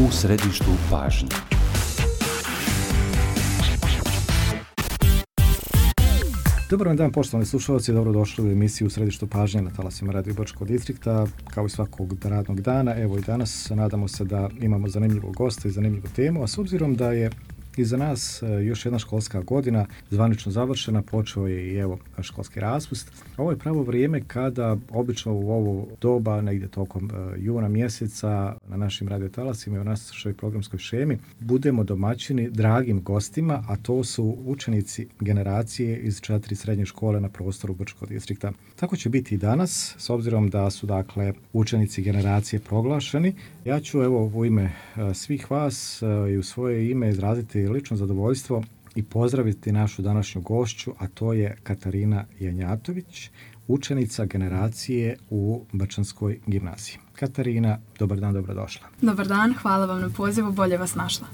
U središtu pažnje. Dobar vam dan, poštovani slušalci, dobrodošli u emisiju U središtu pažnje na talasima Radio Brčkog distrikta, kao i svakog radnog dana. Evo i danas nadamo se da imamo zanimljivog gosta i zanimljivu temu, a s obzirom da je iza nas još jedna školska godina zvanično završena, počeo je i evo školski raspust. Ovo je pravo vrijeme kada obično u ovo doba, negdje tokom juna mjeseca, na našim radiotalasima i u našoj programskoj šemi, budemo domaćini dragim gostima, a to su učenici generacije iz 4 srednje škole na prostoru Brčkog distrikta. Tako će biti i danas, s obzirom da su dakle učenici generacije proglašeni. Ja ću evo u ime svih vas i u svoje ime izraziti lično zadovoljstvo i pozdraviti našu današnju gošću, a to je Katarina Janjatović, učenica generacije u Brčanskoj gimnaziji. Katarina, dobar dan, dobrodošla. Dobar dan, hvala vam na pozivu, bolje vas našla.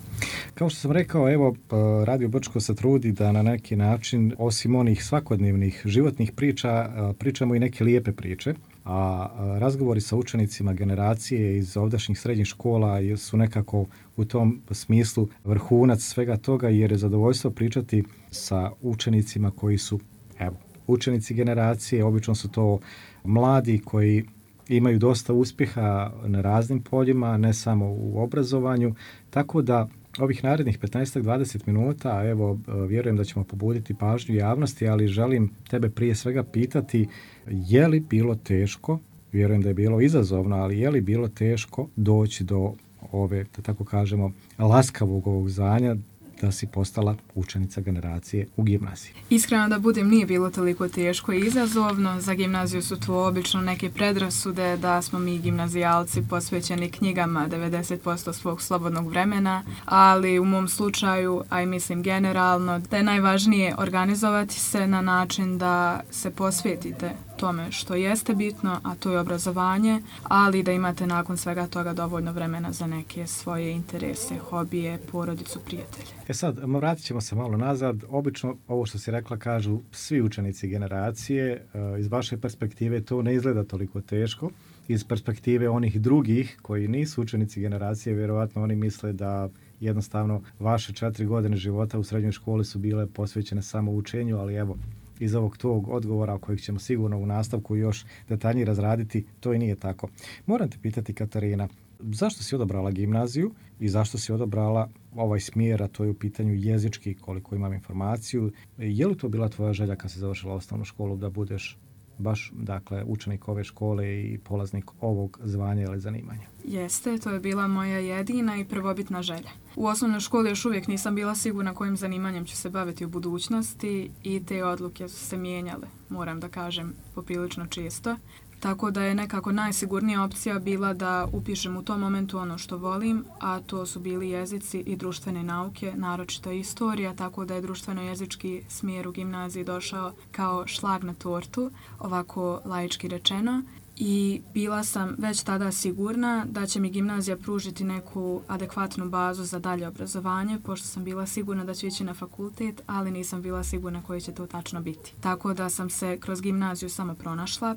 Kao što sam rekao, evo, Radio Brčko se trudi da na neki način, osim onih svakodnevnih životnih priča, pričamo i neke lijepe priče, a razgovori sa učenicima generacije iz ovdašnjih srednjih škola su nekako u tom smislu vrhunac svega toga, jer je zadovoljstvo pričati sa učenicima koji su, evo, učenici generacije. Obično su to mladi koji imaju dosta uspjeha na raznim poljima, ne samo u obrazovanju, tako da ovih narednih 15-20 minuta, evo, vjerujem da ćemo pobuditi pažnju javnosti, ali želim tebe prije svega pitati, je li bilo teško, vjerujem da je bilo izazovno, ali je li bilo teško doći do ove, da tako kažemo, laskavog ovog zvanja da si postala učenica generacije u gimnaziji? Iskreno da budem, nije bilo toliko teško i izazovno. Za gimnaziju su to obično neke predrasude da smo mi gimnazijalci posvećeni knjigama 90% svog slobodnog vremena, ali u mom slučaju, a i mislim generalno, da je najvažnije organizovati se na način da se posvetite tome što jeste bitno, a to je obrazovanje, ali da imate nakon svega toga dovoljno vremena za neke svoje interese, hobije, porodicu, prijatelje. Sad, vratit ćemo se malo nazad. Obično, ovo što si rekla, kažu svi učenici generacije. Iz vaše perspektive to ne izgleda toliko teško. Iz perspektive onih drugih koji nisu učenici generacije, vjerovatno oni misle da jednostavno vaše 4 godine života u srednjoj školi su bile posvećene samo učenju, ali evo, iz ovog tog odgovora kojeg ćemo sigurno u nastavku još detaljnije razraditi, to i nije tako. Moram te pitati, Katarina, zašto si odabrala gimnaziju i zašto si odabrala ovaj smjer, a to je u pitanju jezički, koliko imam informaciju? Je li to bila tvoja želja kad si završila osnovnu školu da budeš baš, dakle, učenik ove škole i polaznik ovog zvanja ili zanimanja? Jeste, to je bila moja jedina i prvobitna želja. U osnovnoj školi još uvijek nisam bila sigurna kojim zanimanjem ću se baviti u budućnosti i te odluke su se mijenjale, moram da kažem, poprilično često. Tako da je nekako najsigurnija opcija bila da upišem u tom momentu ono što volim, a to su bili jezici i društvene nauke, naročito istorija, tako da je društveno-jezički smjer u gimnaziji došao kao šlag na tortu, ovako laički rečeno. I bila sam već tada sigurna da će mi gimnazija pružiti neku adekvatnu bazu za dalje obrazovanje, pošto sam bila sigurna da ću ići na fakultet, ali nisam bila sigurna koji će to tačno biti. Tako da sam se kroz gimnaziju samo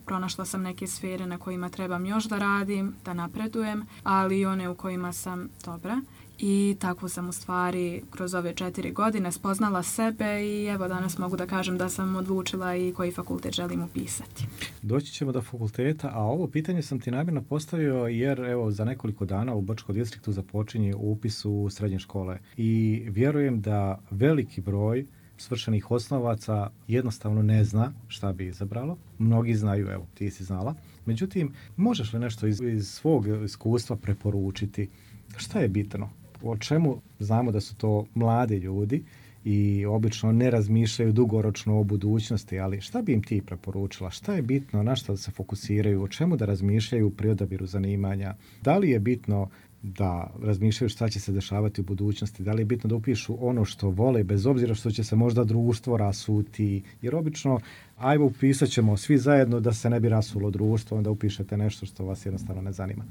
pronašla sam neke sfere na kojima trebam još da radim, da napredujem, ali i one u kojima sam dobra. I tako sam u stvari kroz ove 4 godine spoznala sebe i evo danas mogu da kažem da sam odlučila i koji fakultet želim upisati. Doći ćemo do fakulteta, a ovo pitanje sam ti namjerno postavio jer evo za nekoliko dana u Brčkom distriktu započinje upis u srednje škole i vjerujem da veliki broj svršenih osnovaca jednostavno ne zna šta bi izabralo. Mnogi znaju, evo ti si znala. Međutim, možeš li nešto iz svog iskustva preporučiti? Šta je bitno? O čemu znamo da su to mladi ljudi i obično ne razmišljaju dugoročno o budućnosti, ali šta bi im ti preporučila? Šta je bitno, na što da se fokusiraju, o čemu da razmišljaju pri odabiru zanimanja? Da li je bitno da razmišljaju šta će se dešavati u budućnosti? Da li je bitno da upišu ono što vole, bez obzira što će se možda društvo rasuti? Jer obično, ajmo upisat ćemo svi zajedno da se ne bi rasulo društvo, onda upišete nešto što vas jednostavno ne zanima.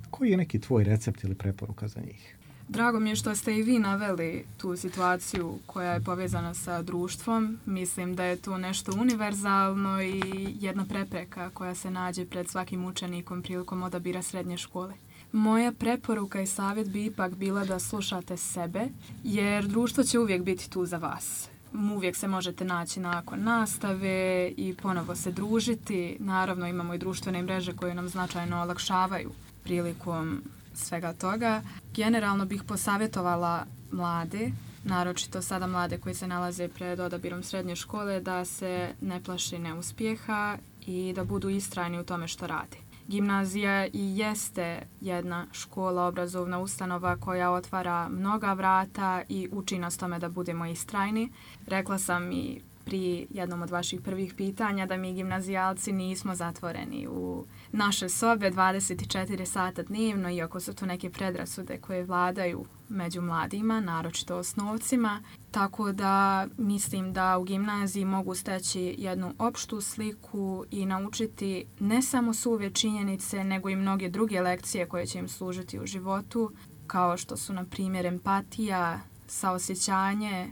Koji je neki tvoj recept ili preporuka za njih? Drago mi je što ste i vi naveli tu situaciju koja je povezana sa društvom. Mislim da je to nešto univerzalno i jedna prepreka koja se nađe pred svakim učenikom prilikom odabira srednje škole. Moja preporuka i savjet bi ipak bila da slušate sebe, jer društvo će uvijek biti tu za vas. Uvijek se možete naći nakon nastave i ponovo se družiti. Naravno, imamo i društvene mreže koje nam značajno olakšavaju prilikom svega toga. Generalno bih posavjetovala mlade, naročito sada mlade koji se nalaze pred odabirom srednje škole, da se ne plaši neuspjeha i da budu istrajni u tome što rade. Gimnazija i jeste jedna škola, obrazovna ustanova koja otvara mnoga vrata i uči nas tome da budemo istrajni. Rekla sam i pri jednom od vaših prvih pitanja da mi gimnazijalci nismo zatvoreni u naše sobe 24 sata dnevno, iako su to neke predrasude koje vladaju među mladima, naročito osnovcima. Tako da mislim da u gimnaziji mogu steći jednu opštu sliku i naučiti ne samo suve činjenice, nego i mnoge druge lekcije koje će im služiti u životu, kao što su, na primjer, empatija, saosjećanje,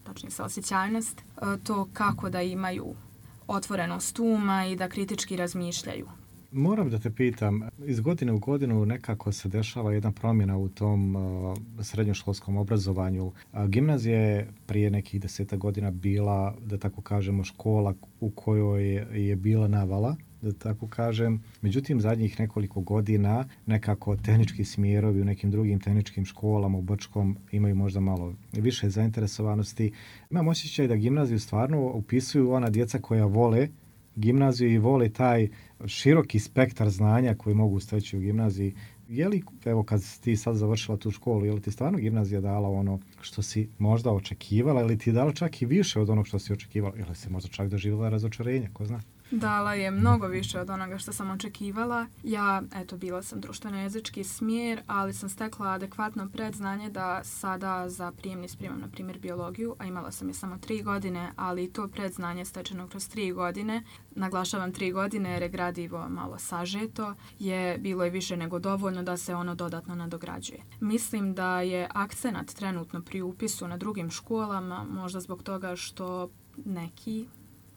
tačnije saosjećajnost, to kako da imaju otvorenost uma i da kritički razmišljaju. Moram da te pitam, iz godine u godinu nekako se dešava jedna promjena u tom srednjoškolskom obrazovanju. Gimnazija je prije nekih 10 godina bila, da tako kažemo, škola u kojoj je bila navala, da tako kažem. Međutim, zadnjih nekoliko godina nekako tehnički smjerovi u nekim drugim tehničkim školama u Brčkom imaju možda malo više zainteresovanosti. Imam osjećaj da gimnaziju stvarno upisuju ona djeca koja vole gimnaziju i vole taj široki spektar znanja koji mogu steći u gimnaziji. Je li, evo, kad si ti sad završila tu školu, je li ti stvarno gimnazija dala ono što si možda očekivala ili ti je dala čak i više od onog što si očekivala? Ili si možda čak doživjela razočarenje, ko zna? Dala je mnogo više od onoga što sam očekivala. Ja, bila sam društveno-jezički smjer, ali sam stekla adekvatno predznanje da sada za prijemni spremam, na primjer, biologiju, a imala sam je samo 3 godine, ali to predznanje stečeno kroz 3 godine, naglašavam 3 godine jer je gradivo malo sažeto, je bilo i više nego dovoljno da se ono dodatno nadograđuje. Mislim da je akcenat trenutno pri upisu na drugim školama, možda zbog toga što neki,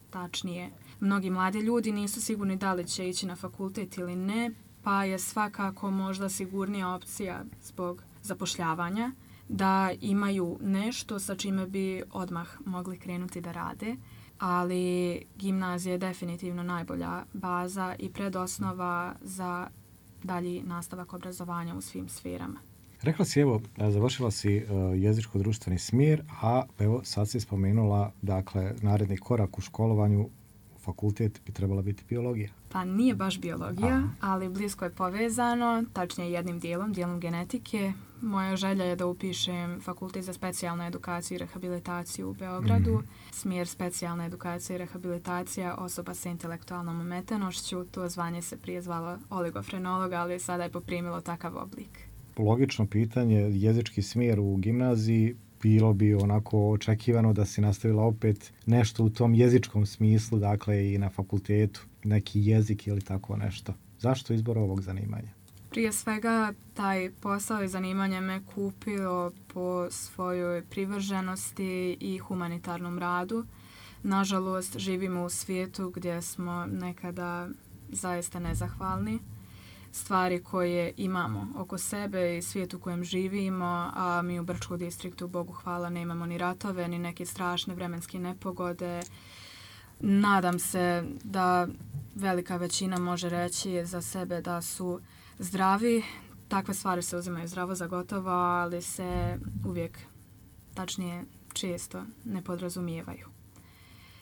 tačnije, mnogi mladi ljudi nisu sigurni da li će ići na fakultet ili ne, pa je svakako možda sigurnija opcija zbog zapošljavanja da imaju nešto sa čime bi odmah mogli krenuti da rade, ali gimnazija je definitivno najbolja baza i predosnova za dalji nastavak obrazovanja u svim sferama. Rekla si, evo, završila si jezičko-društveni smjer, a evo sad si spomenula, dakle, naredni korak u školovanju, fakultet bi trebala biti biologija. Pa nije baš biologija, ali blisko je povezano, tačnije jednim dijelom genetike. Moja želja je da upišem fakultet za specijalnu edukaciju i rehabilitaciju u Beogradu, smjer specijalna edukacija i rehabilitacija osoba sa intelektualnom ometenošću. To zvanje se prije zvalo oligofrenologa, ali sada je poprimilo takav oblik. Logično pitanje, jezički smjer u gimnaziji, bilo bi onako očekivano da si nastavila opet nešto u tom jezičkom smislu, dakle i na fakultetu, neki jezik ili tako nešto. Zašto izbor ovog zanimanja? Prije svega, taj posao i zanimanje me kupio po svojoj privrženosti i humanitarnom radu. Nažalost, živimo u svijetu gdje smo nekada zaista nezahvalni. Stvari koje imamo oko sebe i svijet u kojem živimo, a mi u Brčkom distriktu, Bogu hvala, nemamo ni ratove, ni neke strašne vremenske nepogode. Nadam se da velika većina može reći za sebe da su zdravi. Takve stvari se uzimaju zdravo za gotovo, ali se uvijek, tačnije često, ne podrazumijevaju.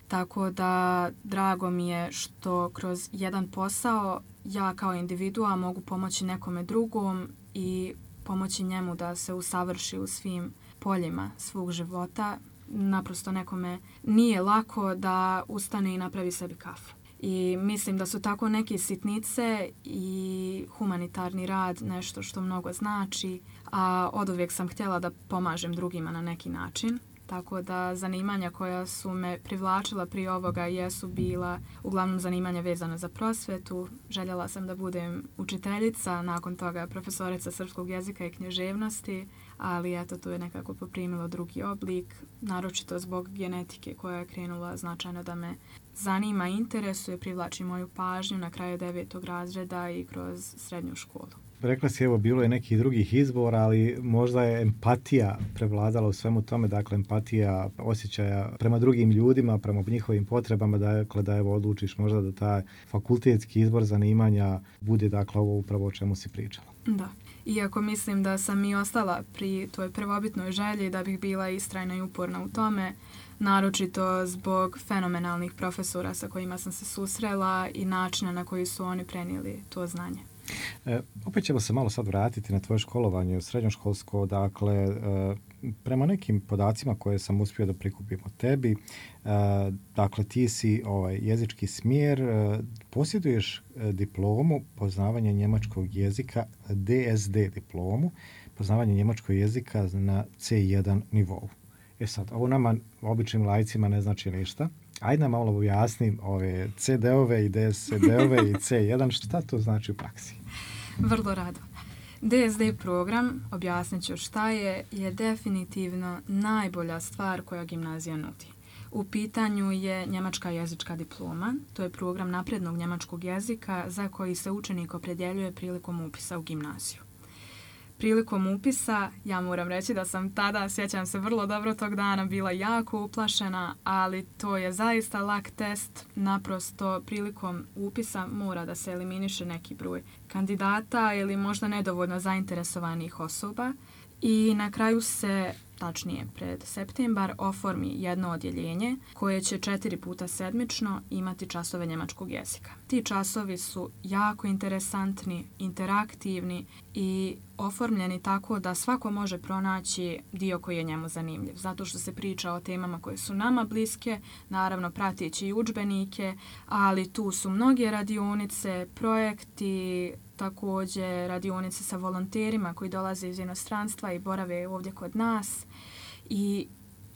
Tako da drago mi je što kroz jedan posao ja kao individua mogu pomoći nekome drugom i pomoći njemu da se usavrši u svim poljima svog života. Naprosto nekome nije lako da ustane i napravi sebi kafu. I mislim da su tako neke sitnice i humanitarni rad nešto što mnogo znači, a oduvijek sam htjela da pomažem drugima na neki način. Tako da zanimanja koja su me privlačila prije ovoga jesu bila uglavnom zanimanja vezana za prosvetu. Željela sam da budem učiteljica, nakon toga profesorica srpskog jezika i književnosti, ali eto, to je nekako poprimilo drugi oblik, naročito zbog genetike koja je krenula značajno da me zanima, interesuje, privlači moju pažnju na kraju 9. razreda i kroz srednju školu. rekla si, evo, bilo je nekih drugih izbora, ali možda je empatija prevladala u svemu tome, dakle, empatija osjećaja prema drugim ljudima, prema njihovim potrebama, dakle, da evo odlučiš možda da taj fakultetski izbor zanimanja bude, dakle, ovo upravo o čemu si pričala. Da. Iako mislim da sam i ostala pri toj prvobitnoj želji da bih bila istrajna i uporna u tome, naročito zbog fenomenalnih profesora sa kojima sam se susrela i načina na koji su oni prenijeli to znanje. Opet ćemo se malo sad vratiti na tvoje školovanje srednjoškolsko. Dakle, prema nekim podacima koje sam uspio da prikupim o tebi, dakle, ti si jezički smjer, posjeduješ diplomu poznavanja njemačkog jezika, DSD diplomu, poznavanje njemačkog jezika na C1 nivou. Sad, ovo nama, običnim laicima, ne znači ništa. Ajde nam malo objasni ove CD-ove i DSD-ove i C1, šta to znači u praksi? Vrlo rado. DSD program, objasnit ću šta je definitivno najbolja stvar koja gimnazija nudi. U pitanju je njemačka jezička diploma, to je program naprednog njemačkog jezika za koji se učenik opredjeljuje prilikom upisa u gimnaziju. Prilikom upisa, ja moram reći da sam tada, sjećam se vrlo dobro tog dana, bila jako uplašena, ali to je zaista lak test. Naprosto prilikom upisa mora da se eliminiše neki broj kandidata ili možda nedovoljno zainteresovanih osoba i na kraju se, tačnije pred septembar, oformi jedno odjeljenje koje će 4 puta sedmično imati časove njemačkog jezika. Ti časovi su jako interesantni, interaktivni i oformljeni tako da svako može pronaći dio koji je njemu zanimljiv. Zato što se priča o temama koje su nama bliske, naravno prateći i udžbenike, ali tu su mnoge radionice, projekti, također radionice sa volonterima koji dolaze iz inostranstva i borave ovdje kod nas. I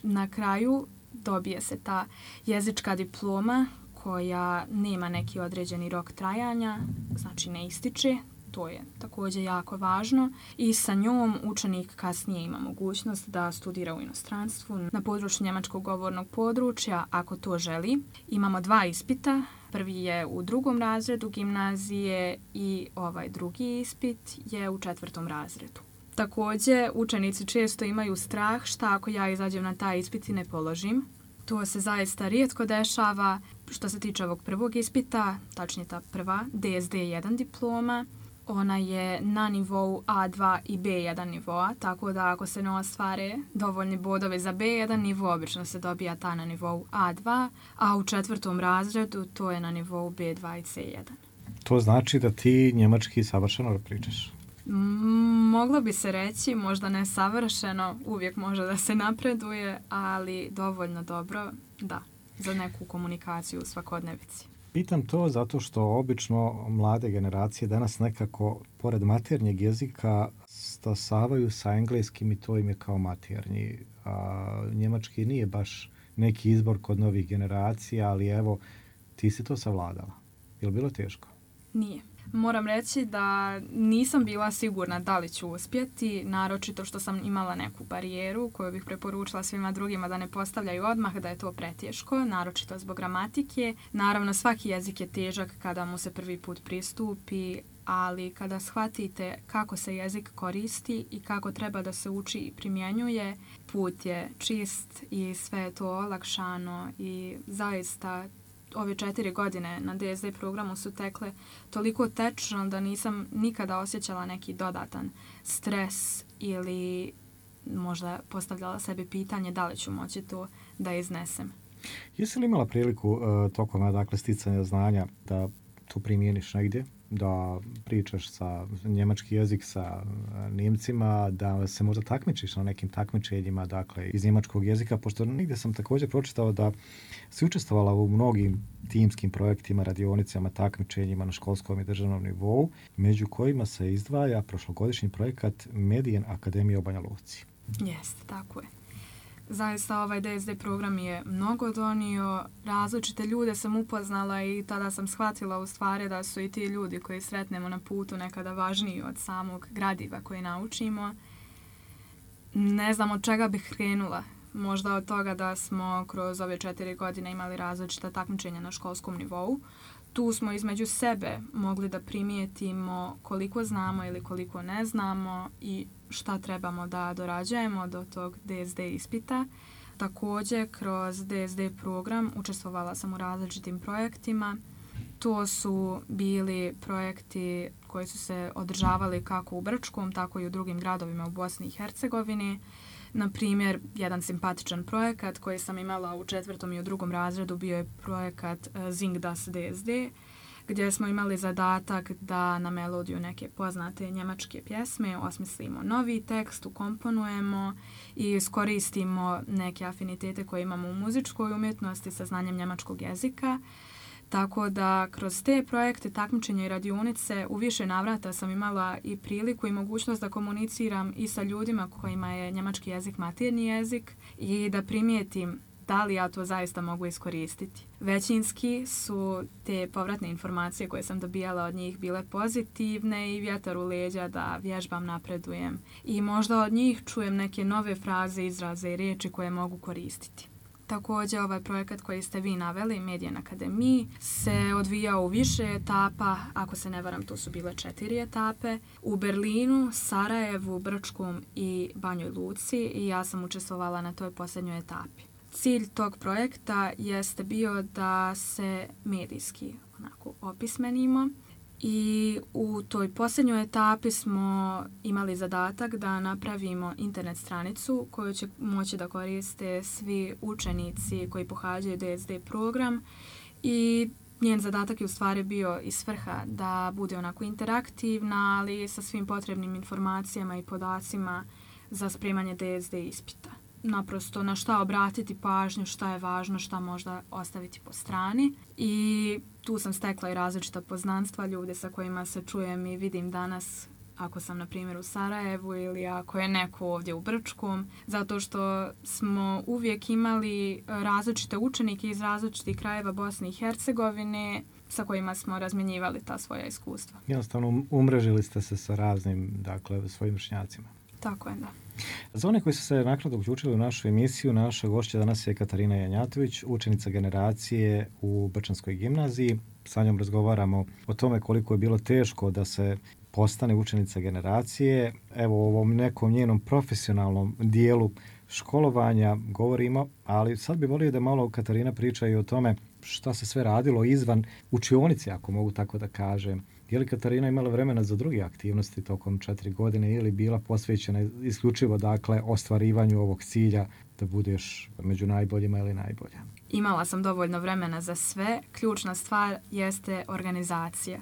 na kraju dobije se ta jezička diploma koja nema neki određeni rok trajanja, znači ne ističe, to je također jako važno i sa njom učenik kasnije ima mogućnost da studira u inostranstvu na području njemačkog govornog područja ako to želi. Imamo 2 ispita. Prvi je u 2. razredu gimnazije i ovaj drugi ispit je u 4. razredu. Također, učenici često imaju strah šta ako ja izađem na taj ispit i ne položim. To se zaista rijetko dešava. Što se tiče ovog prvog ispita, tačnije ta prva, DSD1 diploma, ona je na nivou A2 i B1 nivoa, tako da ako se ne ostvare dovoljni bodovi za B1 nivo, obično se dobija ta na nivou A2, a u 4. razredu to je na nivou B2 i C1. To znači da ti njemački savršeno pričaš? Moglo bi se reći, možda ne savršeno, uvijek može da se napreduje, ali dovoljno dobro, da, za neku komunikaciju u svakodnevici. Pitam to zato što obično mlade generacije danas nekako, pored maternjeg jezika, stasavaju sa engleskim i to im je kao maternji. A njemački nije baš neki izbor kod novih generacija, ali evo, ti si to savladala. Je li bilo teško? Nije. Moram reći da nisam bila sigurna da li ću uspjeti, naročito što sam imala neku barijeru koju bih preporučila svima drugima da ne postavljaju odmah, da je to preteško, naročito zbog gramatike. Naravno, svaki jezik je težak kada mu se prvi put pristupi, ali kada shvatite kako se jezik koristi i kako treba da se uči i primjenjuje, put je čist i sve je to olakšano i zaista ove 4 godine na DSD programu su tekle toliko tečno da nisam nikada osjećala neki dodatan stres ili možda postavljala sebi pitanje da li ću moći to da iznesem. Jesi li imala priliku tokom sticanja znanja da to primjeniš negdje? Da pričaš sa njemački jezik sa Nijemcima, da se možda takmičiš na nekim takmičenjima, dakle, iz njemačkog jezika, pošto nigdje sam također pročitao da si učestvovala u mnogim timskim projektima, radionicama, takmičenjima na školskom i državnom nivou, među kojima se izdvaja prošlogodišnji projekat Medijen Akademije u Banja Luci. Jeste, tako je. Zaista ovaj DSD program je mnogo donio, različite ljude sam upoznala i tada sam shvatila u stvari da su i ti ljudi koji sretnemo na putu nekada važniji od samog gradiva koji naučimo. Ne znam od čega bih krenula. Možda od toga da smo kroz ove 4 godine imali različita takmičenja na školskom nivou. tu smo između sebe mogli da primijetimo koliko znamo ili koliko ne znamo i šta trebamo da dorađujemo do tog DSD ispita. Također, kroz DSD program učestvovala sam u različitim projektima. To su bili projekti koji su se održavali kako u Brčkom, tako i u drugim gradovima u Bosni i Hercegovini. Na primjer, jedan simpatičan projekat koji sam imala u 4. i u 2. razredu bio je projekat Sing das DSD, gdje smo imali zadatak da na melodiju neke poznate njemačke pjesme osmislimo novi tekst, ukomponujemo i iskoristimo neke afinitete koje imamo u muzičkoj umjetnosti sa znanjem njemačkog jezika. Tako da kroz te projekte, takmičenja i radionice u više navrata sam imala i priliku i mogućnost da komuniciram i sa ljudima kojima je njemački jezik maternji jezik i da primijetim da li ja to zaista mogu iskoristiti. Većinski su te povratne informacije koje sam dobijala od njih bile pozitivne i vjetar u leđa da vježbam, napredujem. I možda od njih čujem neke nove fraze, izraze i riječi koje mogu koristiti. Također, ovaj projekat koji ste vi naveli, Medijan Akademiji, se odvijao u više etapa, ako se ne varam, to su bile 4 etape, u Berlinu, Sarajevu, Brčkom i Banjoj Luci i ja sam učestvovala na toj posljednjoj etapi. Cilj tog projekta jeste bio da se medijski opismenimo i u toj posljednjoj etapi smo imali zadatak da napravimo internet stranicu koju će moći da koriste svi učenici koji pohađaju DSD program i njen zadatak je u stvari bio i svrha da bude onako interaktivna, ali sa svim potrebnim informacijama i podacima za spremanje DSD ispita. Naprosto na šta obratiti pažnju, šta je važno, šta možda ostaviti po strani. I tu sam stekla i različita poznanstva, ljude sa kojima se čujem i vidim danas ako sam na primjer u Sarajevu ili ako je neko ovdje u Brčkom, zato što smo uvijek imali različite učenike iz različitih krajeva Bosne i Hercegovine sa kojima smo razmjenjivali ta svoja iskustva. Jednostavno umrežili ste se sa raznim, dakle, svojim vršnjacima. Tako je, da. Za one koji su se naknadno uključili u našu emisiju, naša gošća danas je Katarina Janjatović, učenica generacije u Brčanskoj gimnaziji. Sa njom razgovaramo o tome koliko je bilo teško da se postane učenica generacije. Evo, o ovom nekom njenom profesionalnom dijelu školovanja govorimo, ali sad bi volio da malo Katarina priča i o tome šta se sve radilo izvan učionice, ako mogu tako da kažem. Je li Katarina imala vremena za druge aktivnosti tokom 4 godine ili bila posvećena isključivo, dakle, ostvarivanju ovog cilja da budeš među najboljima ili najbolja? Imala sam dovoljno vremena za sve. Ključna stvar jeste organizacija.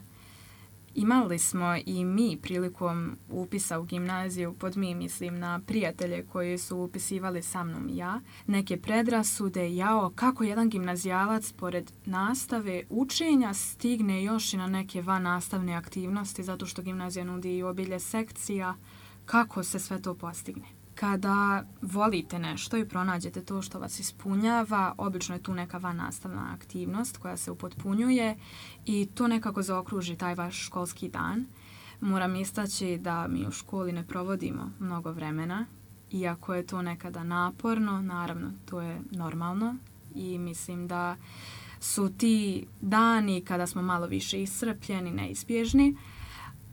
Imali smo i mi prilikom upisa u gimnaziju, pod mi mislim na prijatelje koji su upisivali sa mnom i ja, neke predrasude, kako jedan gimnazijalac pored nastave učenja stigne još i na neke vannastavne aktivnosti, zato što gimnazija nudi i obilje sekcija, kako se sve to postigne. Kada volite nešto i pronađete to što vas ispunjava, obično je tu neka vannastavna aktivnost koja se upotpunjuje i to nekako zaokruži taj vaš školski dan. Moram istaći da mi u školi ne provodimo mnogo vremena, iako je to nekada naporno, naravno to je normalno i mislim da su ti dani kada smo malo više iscrpljeni, neizbježni,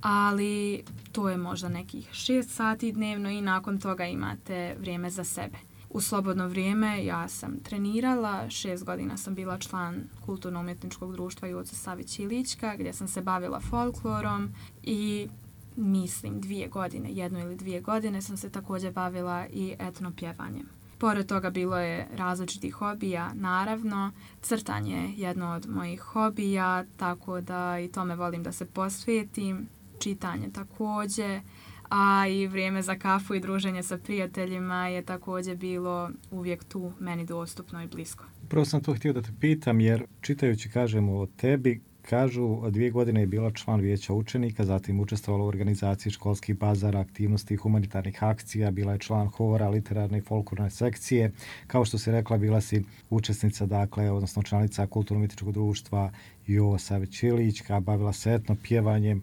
ali to je možda nekih 6 sati dnevno i nakon toga imate vrijeme za sebe. U slobodno vrijeme ja sam trenirala, 6 godina sam bila član Kulturno-umjetničkog društva Joce Savić Ilićka, gdje sam se bavila folklorom i mislim 2 godine, 1 ili 2 godine sam se također bavila i etnopjevanjem. Pored toga bilo je različitih hobija, naravno, crtanje je jedno od mojih hobija, tako da i tome volim da se posvetim. Čitanje također, a i vrijeme za kafu i druženje sa prijateljima je također bilo uvijek tu meni dostupno i blisko. Upravo sam to htio da te pitam, jer čitajući, kažemo, o tebi, kažu 2 godine je bila član vijeća učenika, zatim učestvovala u organizaciji školskih bazara, aktivnosti i humanitarnih akcija, bila je član hora, literarne i folklorne sekcije. Kao što si rekla, bila si učesnica, dakle, odnosno članica Kulturno-umjetničkog društva Jovo Savić Ilićka, bavila se etnopjevanjem.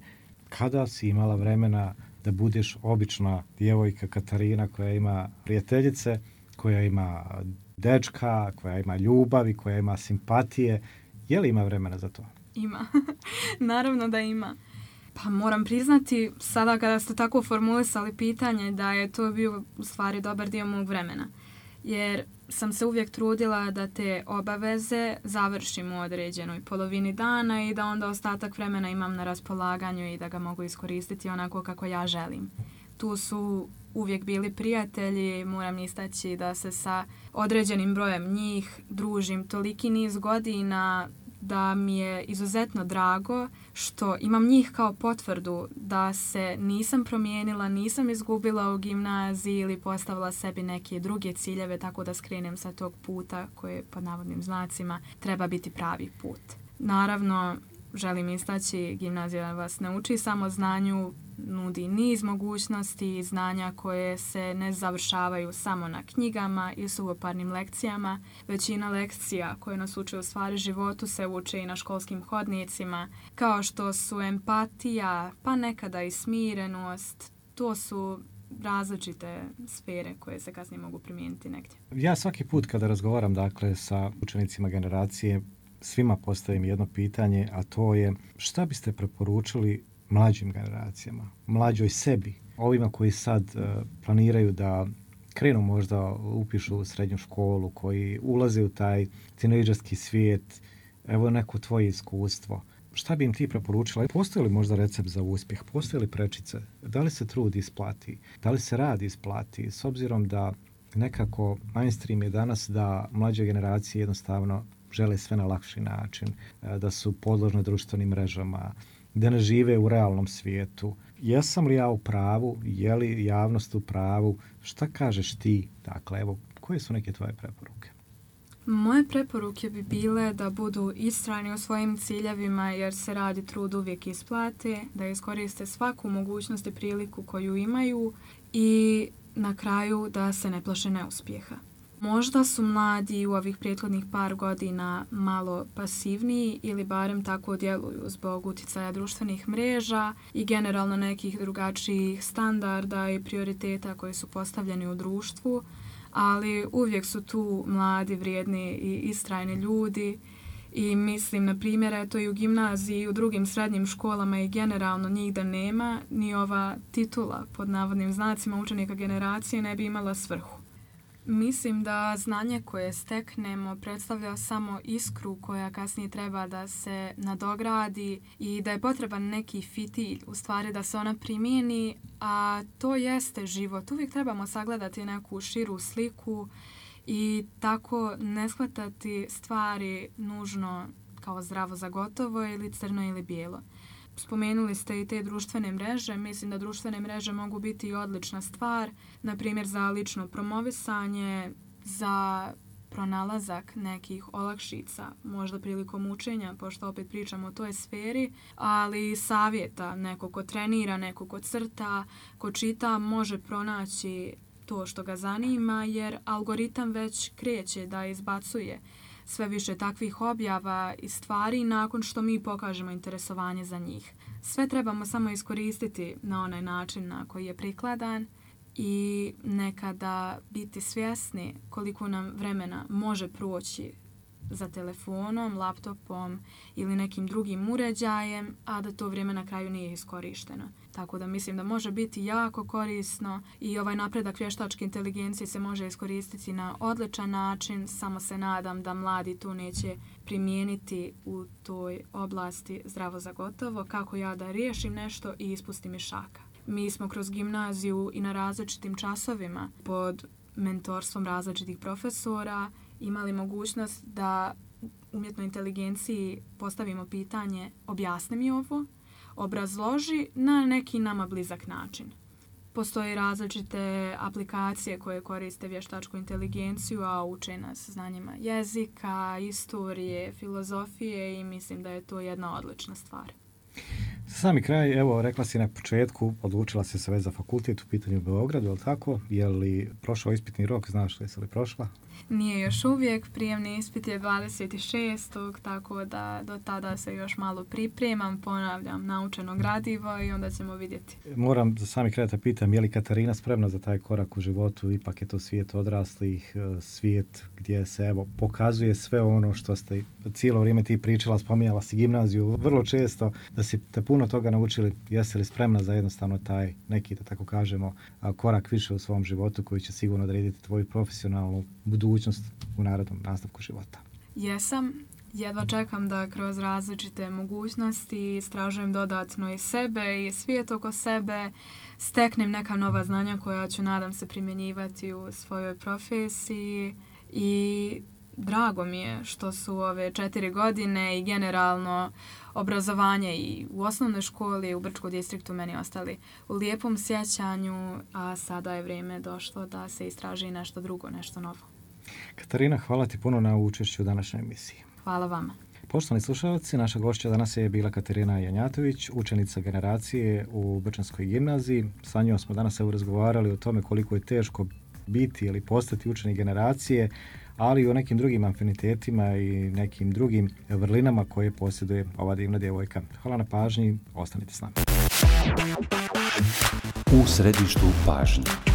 Kada si imala vremena da budeš obična djevojka Katarina koja ima prijateljice, koja ima dečka, koja ima ljubavi, koja ima simpatije? Je li ima vremena za to? Ima. Naravno da ima. Pa moram priznati, sada kada ste tako formulisali pitanje, da je to bio u stvari dobar dio mog vremena. Jer sam se uvijek trudila da te obaveze završim u određenoj polovini dana i da onda ostatak vremena imam na raspolaganju i da ga mogu iskoristiti onako kako ja želim. Tu su uvijek bili prijatelji, moram istaći da se sa određenim brojem njih družim toliki niz godina da mi je izuzetno drago što imam njih kao potvrdu da se nisam promijenila, nisam izgubila u gimnaziji ili postavila sebi neke druge ciljeve tako da skrenem sa tog puta koje pod navodnim znacima treba biti pravi put. Naravno, želim istaći, gimnazija vas ne uči samo znanju, nudi niz mogućnosti i znanja koje se ne završavaju samo na knjigama i suvoparnim lekcijama. Većina lekcija koje nas uče u stvari životu se uče i na školskim hodnicima, kao što su empatija, pa nekada i smirenost. To su različite sfere koje se kasnije mogu primijeniti negdje. Ja svaki put kada razgovaram dakle sa učenicima generacije, svima postavim jedno pitanje, a to je šta biste preporučili mlađim generacijama, mlađoj sebi, ovima koji sad planiraju da krenu možda upišu u srednju školu, koji ulaze u taj tinejdžerski svijet, evo neko tvoje iskustvo. Šta bi im ti preporučila? Postoji li možda recept za uspjeh? Postoji li prečice? Da li se trud isplati? Da li se rad isplati? S obzirom da nekako mainstream je danas da mlađe generacije jednostavno žele sve na lakši način, da su podložne društvenim mrežama, da ne žive u realnom svijetu. Jesam li ja u pravu? Je li javnost u pravu? Šta kažeš ti? Dakle, evo, koje su neke tvoje preporuke? Moje preporuke bi bile da budu istrajni u svojim ciljevima jer se rad i trud uvijek isplate, da iskoriste svaku mogućnost i priliku koju imaju i na kraju da se ne plaše neuspjeha. Možda su mladi u ovih prethodnih par godina malo pasivniji ili barem tako djeluju zbog utjecaja društvenih mreža i generalno nekih drugačijih standarda i prioriteta koji su postavljeni u društvu, ali uvijek su tu mladi, vrijedni i istrajni ljudi i mislim, na primjer, eto i u gimnaziji i u drugim srednjim školama i generalno njih da nema, ni ova titula pod navodnim znacima učenika generacije ne bi imala svrhu. Mislim da znanje koje steknemo predstavlja samo iskru koja kasnije treba da se nadogradi i da je potreban neki fitilj, u stvari da se ona primijeni, a to jeste život. Uvijek trebamo sagledati neku širu sliku i tako ne shvatati stvari nužno kao zdravo za gotovo ili crno ili bijelo. Spomenuli ste i te društvene mreže. Mislim da društvene mreže mogu biti i odlična stvar, na primjer za lično promovisanje, za pronalazak nekih olakšica, možda prilikom učenja, pošto opet pričamo o toj sferi, ali i savjeta, neko ko trenira, neko ko crta, ko čita, može pronaći to što ga zanima, jer algoritam već kreće da izbacuje sve više takvih objava i stvari nakon što mi pokažemo interesovanje za njih. Sve trebamo samo iskoristiti na onaj način na koji je prikladan i nekada biti svjesni koliko nam vremena može proći za telefonom, laptopom ili nekim drugim uređajem, a da to vrijeme na kraju nije iskorišteno. Tako da mislim da može biti jako korisno i ovaj napredak vještačke inteligencije se može iskoristiti na odličan način, samo se nadam da mladi to neće primijeniti u toj oblasti zdravo za gotovo, kako ja da riješim nešto i ispustim iz šaka. Mi smo kroz gimnaziju i na različitim časovima pod mentorstvom različitih profesora imali mogućnost da umjetnoj inteligenciji postavimo pitanje objasni mi ovo, obrazloži na neki nama blizak način. Postoje različite aplikacije koje koriste vještačku inteligenciju, a uče nas znanjima jezika, istorije, filozofije i mislim da je to jedna odlična stvar. Za sami kraj, evo, rekla si na početku, odlučila si se već za fakultet u pitanju u Beogradu, je li tako? Je li prošao ispitni rok, znaš li li prošla? Nije još uvijek, prijemni ispit je 26. tako da do tada se još malo pripremam, ponavljam naučeno gradivo i onda ćemo vidjeti. Moram za sami kraj da pitam, je li Katarina spremna za taj korak u životu? Ipak je to svijet odraslih, svijet gdje se evo pokazuje sve ono što ste cijelo vrijeme ti pričala, spominjala si gimnaziju vrlo često, da si te puno toga naučili. Jesi li spremna za jednostavno taj neki, da tako kažemo, korak više u svom životu koji će sigurno odrediti tvoju profesionalnu budućnost u narednom nastavku života? Jesam. Jedva čekam da kroz različite mogućnosti istražujem dodatno i sebe i svijet oko sebe, steknem neka nova znanja koja ću, nadam se, primjenjivati u svojoj profesiji i drago mi je što su ove 4 godine i generalno obrazovanje i u osnovnoj školi i u Brčkom distriktu meni ostali u lijepom sjećanju, a sada je vrijeme došlo da se istraži nešto drugo, nešto novo. Katarina, hvala ti puno na učešću u današnjoj emisiji. Hvala vama. Poštovani slušalci, naša gošća danas je bila Katarina Janjatović, učenica generacije u Brčanskoj gimnaziji. Sa njom smo danas razgovarali o tome koliko je teško biti ili postati učenik generacije, ali i o nekim drugim afinitetima i nekim drugim vrlinama koje posjeduje ova divna djevojka. Hvala na pažnji, ostanite s nama. U središtu pažnje.